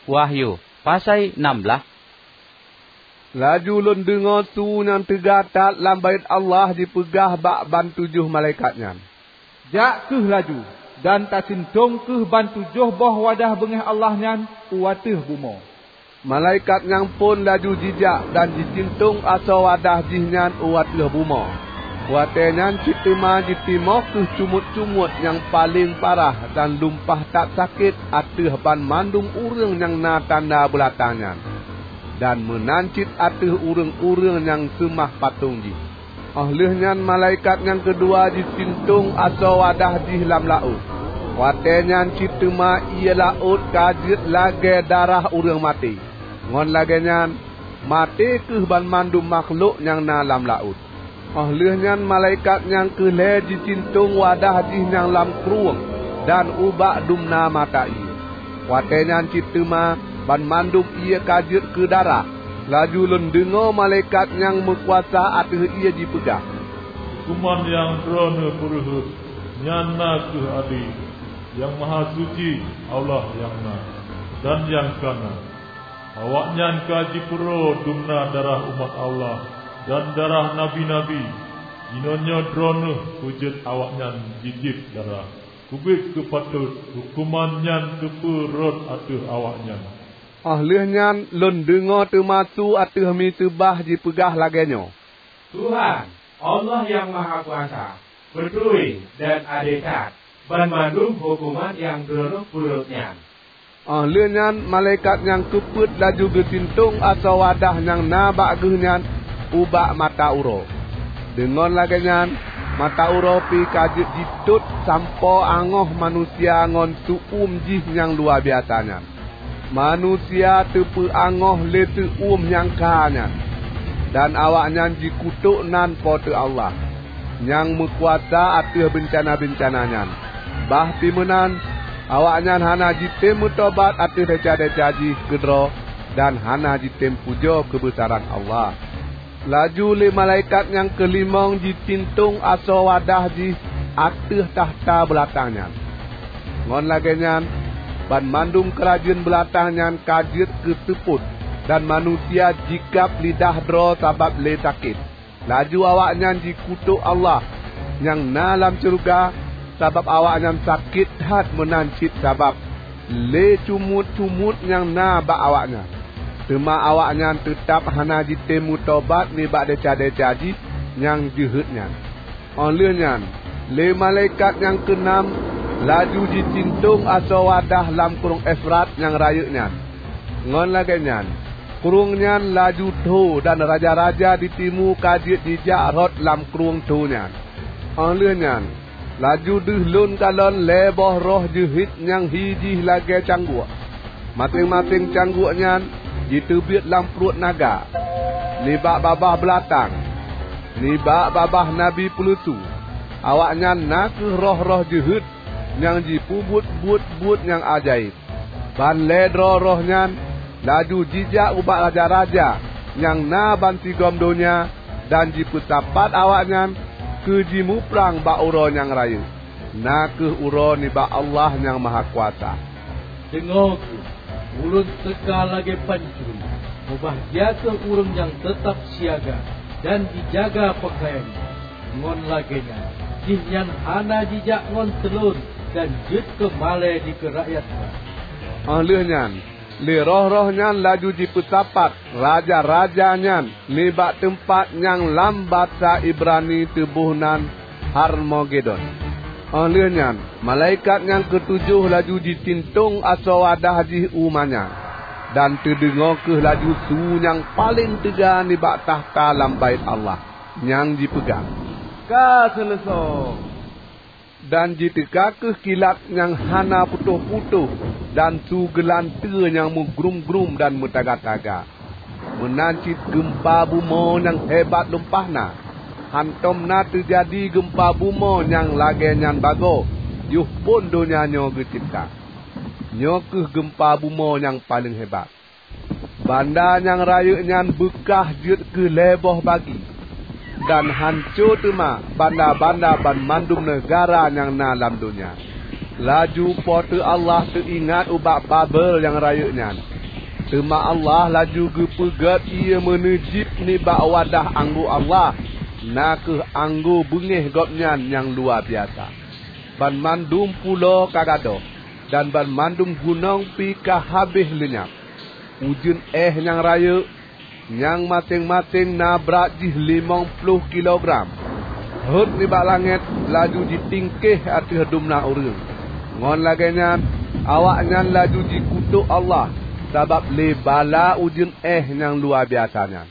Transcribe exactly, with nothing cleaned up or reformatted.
Wahyu, pasai nam blaih. Laju lôn deungoe su nyang teuga that lam Baét Allah jipeugah bak ban tujoh malaikat nyan, "Jak kheueh laju, dan tasintong kheueh ban tujoh boh wadah beungéh Allah nyan u ateueh bumoe." Malaikat nyang phon laju jijak dan jisintong asoe wadah jih nyan u ateueh bumoe. Watée nyan cit teuma jitimoh kheueh cumuet-cumuet nyang paleng parah dan lumpah that sakét ateueh banmandum ureuëng nyang na tanda beulatang nyan, dan meunan cit ateueh ureuëng-ureuëng nyang seumah patong jih. Óh lheueh nyan malaikat nyang keudua jisintong asoe wadah jih lam laôt. Watée nyan cit teuma ié laôt ka jeuet lagée darah ureuëng maté. Ngon lagée nyan, maté kheueh banmandum makhlok nyang na lam laôt. Óh lheueh nyan malaikat nyang keulhée jisintong wadah jih nyang lam krueng dan ubak dumna mata ié. Watée nyan cit teuma banmandum ié ka jeuet keu darah. Laju lôn deungoe malaikat nyang meukuasa ateueh ié jipeugah, "Huköman nyang Droeneueh peureuheuet nyan na kheueh ade, Nyang Mahasuci Allah nyang na, dan nyang ka na. Awaknyan ka jipeuroe dumna darah umat Allah dan darah nabi-nabi. Jinoenyoe Droeneueh peujeuet awaknyan jijieb darah. Keubiet keu patot huköman nyan teupeu rhot ateueh awaknyan." Óh lheueh nyan lôn deungoe teuma su ateueh miseubah jipeugah lagée nyoe, "Tuhan, Allah Nyang Mahakuasa, beutôi dan ade that banmandum huköman nyang Droeneueh peureuet nyan." Óh lheueh nyan malaikat nyang keupeuet laju geusintong asoe wadah nyang na bak geuh nyan ubak mata uroe. Deungon lagée nyan, mata uroe pih ka jeuet jitot sampoe angoh manusia ngon seu-uem jih nyang luwabiasa nyan. Manusia teupeu angoh lé seu-uem nyang kha nyan, dan awaknyan jikutôk nan Po teu Allah, nyang meukuasa ateueh beuncana-beuncana nyan. Bah pi meunan, awaknyan hana jitem meutobat ateueh desya-desya jih keudroe dan hana jitem pujoe keubeusaran Allah. Laju lé malaikat nyang keulimong jisintong asoe wadah jih ateueh takhta beulatang nyan. Ngon lagée nyan, banmandum keurajeuen beulatang nyan ka jeuet keu seupôt, dan manusia jikab lidah droe sabab lé sakét. Laju awaknyan jikutôk Allah nyang na lam syeuruga, sabab awaknyan sakét that meunan cit sabab lé cumuet-cumuet nyang na bak awaknyan. Teuma awaknyan teutab hana jitem meutobat nibak desya-desya jih nyang jeuhet nyan. Óh lheueh nyan, lé malaikat nyang keunam laju jisintong asoe wadah lam Krueng Efrat nyang rayeuk nyan. Ngon lagée nyan, krueng nyan laju tho dan raja-raja di timu ka jeuet jijak rhot lam krueng tho nyan. Óh lheueh nyan, laju deuh lôn kalon lhée boh roh jeuhet nyang hi jih lagée cangguek. Maséng-maséng cangguek nyan jiteubiet lam pruet naga, nibak babah beulatang, nibak babah nabi peuleusu. Awaknyan na kheueh roh-roh jeuhet nyang jipeubuet buet-buet nyang ajaéb. Ban lhée droe roh nyan laju jijak ubak raja-raja nyang na bansigom donya dan jipeusapat awaknyan keu jimuprang bak uroe nyang rayeuk, na kheueh uroe nibak Allah Nyang Mahakuasa. Deungoe kheueh, ulôn teuka lagée pancuri. Mubahgia kheueh ureuëng nyang teutab siaga dan jijaga peukayan nyan. Ngon lagée nyan, jihnyan hana jijak ngon teulon dan jeuet keu malée dikeue rakyat ban. Óh lheueh nyan, lé roh-roh nyan laju jipeusapat raja-raja nyan nibak teumpat nyang lam basa Ibrani teuboh nan Harmagedon. Óh lheueh nyan, malaikat nyang keutujoh laju jisintong asoe wadah jih u ma nyan, dan teudeungoe kheueh laju su nyang paleng teuga nibak takhta lam Baét Allah, nyang jipeugah, "Ka seuleusoe!" Dan jiteuka kheueh kilat nyang hana putôh-putôh dan su geulanteue nyang meugrum-grum dan meutaga-taga. Meunan cit geumpa bumoe nyang hebat lumpah na. Hántom na teujadi geumpa bumoe nyang lagée nyan bagoe yoh phon donya nyoe geucebta. Nyoe kheueh geumpa bumoe nyang paleng hebat. Banda nyang rayeuk nyan beukah jeuet keu lhée boh bagi, dan hanco teuma banda-banda banmandum neugara nyang na lam donya. Laju Po teu Allah teuingat ubak Babel nyang rayeuk nyan, Teuma Allah laju geupeugét ié meuneujib nibak wadah anggô Allah, na kheueh anggô beungéh Gobnyan nyang luwa biasa. Banmandum pulo ka gadôh, dan banmandum gunong pi ka habéh leunyab. Ujeuen éh nyang rayeuk, nyang maséng-maséng na brat jih limong ploh kilogram, rhot nibak langét laju jitingkéh ateueh dumna ureuëng. Ngon lagée nyan, awaknyan laju jikutôk Allah sabab lé bala ujeuen éh nyang luwa biasa nyan.